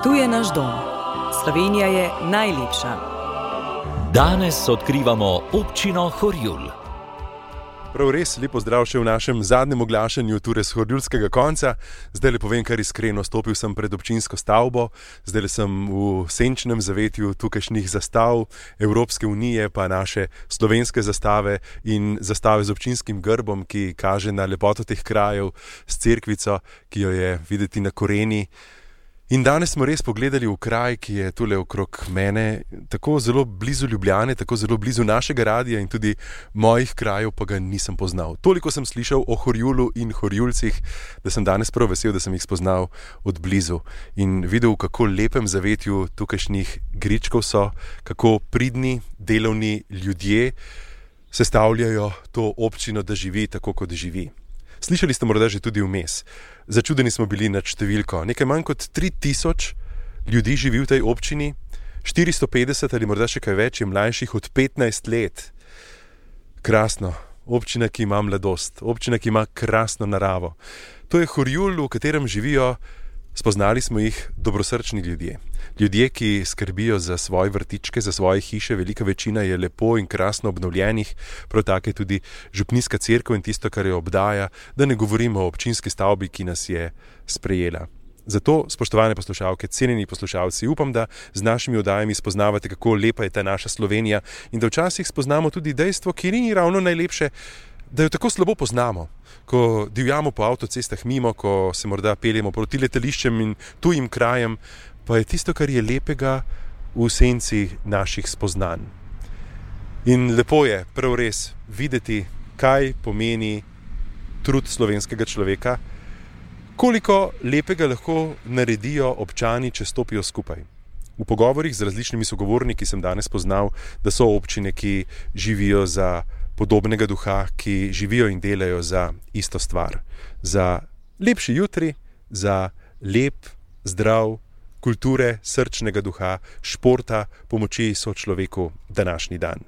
Tu je naš dom. Slovenija je najlepša. Danes odkrivamo občino Horjul. Prav res, lepo zdrav še v našem zadnjem oglašanju ture s horjulskega konca. Zdaj le povem kar iskreno, stopil sem pred občinsko stavbo, zdaj le sem v senčnem zavetju tukajšnjih zastav Evropske unije, pa naše slovenske zastave in zastave z občinskim grbom, ki kaže na lepoto teh krajev, s cerkvico, ki jo je videti na koreni. In danes smo res pogledali v kraj, ki je tule okrog mene, tako zelo blizu Ljubljane, tako zelo blizu našega radia in tudi mojih krajev, pa ga nisem poznal. Toliko sem slišal o Horjulu in Horjulcih, da sem danes prav vesel, da sem jih spoznal od blizu in videl, kako lepem zavetju tukajšnjih Gričkov so, kako pridni, delovni ljudje sestavljajo to občino, da živi tako, kot živi. Slišali ste morda že tudi vmes. Začudeni smo bili nad številko. Nekaj manj kot 3000 ljudi živi v tej občini, 450 ali morda še kaj več je mlajših od 15 let. Krasno. Občina, ki ima mladost. Občina, ki ima krasno naravo. To je Horjul, v katerem živijo, spoznali smo jih, dobrosrčni ljudje. Ljudje, ki skrbijo za svoje vrtičke, za svoje hiše, velika večina je lepo in krasno obnovljenih, prav tako je tudi župnijska cerkev in tisto, kar jo obdaja, da ne govorimo o občinski stavbi, ki nas je sprejela. Zato, spoštovane poslušalke, cenjeni poslušalci, upam, da z našimi oddajami spoznavate, kako lepa je ta naša Slovenija in da včasih spoznamo tudi dejstvo, ki ni ravno najlepše, da jo tako slabo poznamo. Ko divjamo po avtocestah mimo, ko se morda peljemo proti letališčem in tujim krajem, pa je tisto, kar je lepega v senci naših spoznanj. In lepo je, prav res, videti, kaj pomeni trud slovenskega človeka, koliko lepega lahko naredijo občani, če stopijo skupaj. V pogovorih z različnimi sogovorniki sem danes poznal, da so občine, ki živijo za podobnega duha, ki živijo in delajo za isto stvar. Za lepši jutri, za lep, zdrav, kulture, srčnega duha, športa, pomoči sočloveku današnji dan.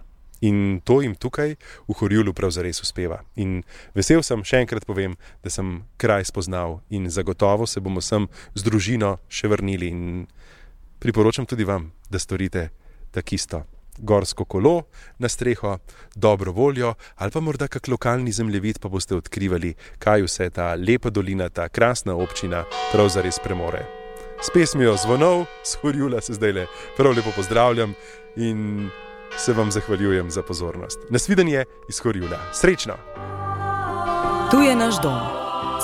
In to jim tukaj v Horjulu prav zares uspeva. In vesel sem, še enkrat povem, da sem kraj spoznal in zagotovo se bomo sem z družino še vrnili in priporočam tudi vam, da storite takisto. Gorsko kolo na streho, dobro voljo ali pa morda kak lokalni zemljevid, pa boste odkrivali, kaj vse ta lepa dolina, ta krasna občina prav zares premore. S pesmijo Zvonov s Horjula se zdajle prav lepo pozdravljam in se vam zahvaljujem za pozornost. Nasvidenje iz Horjula. Srečno! Tu je naš dom.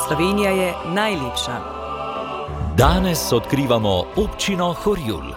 Slovenija je najlepša. Danes odkrivamo občino Horjul.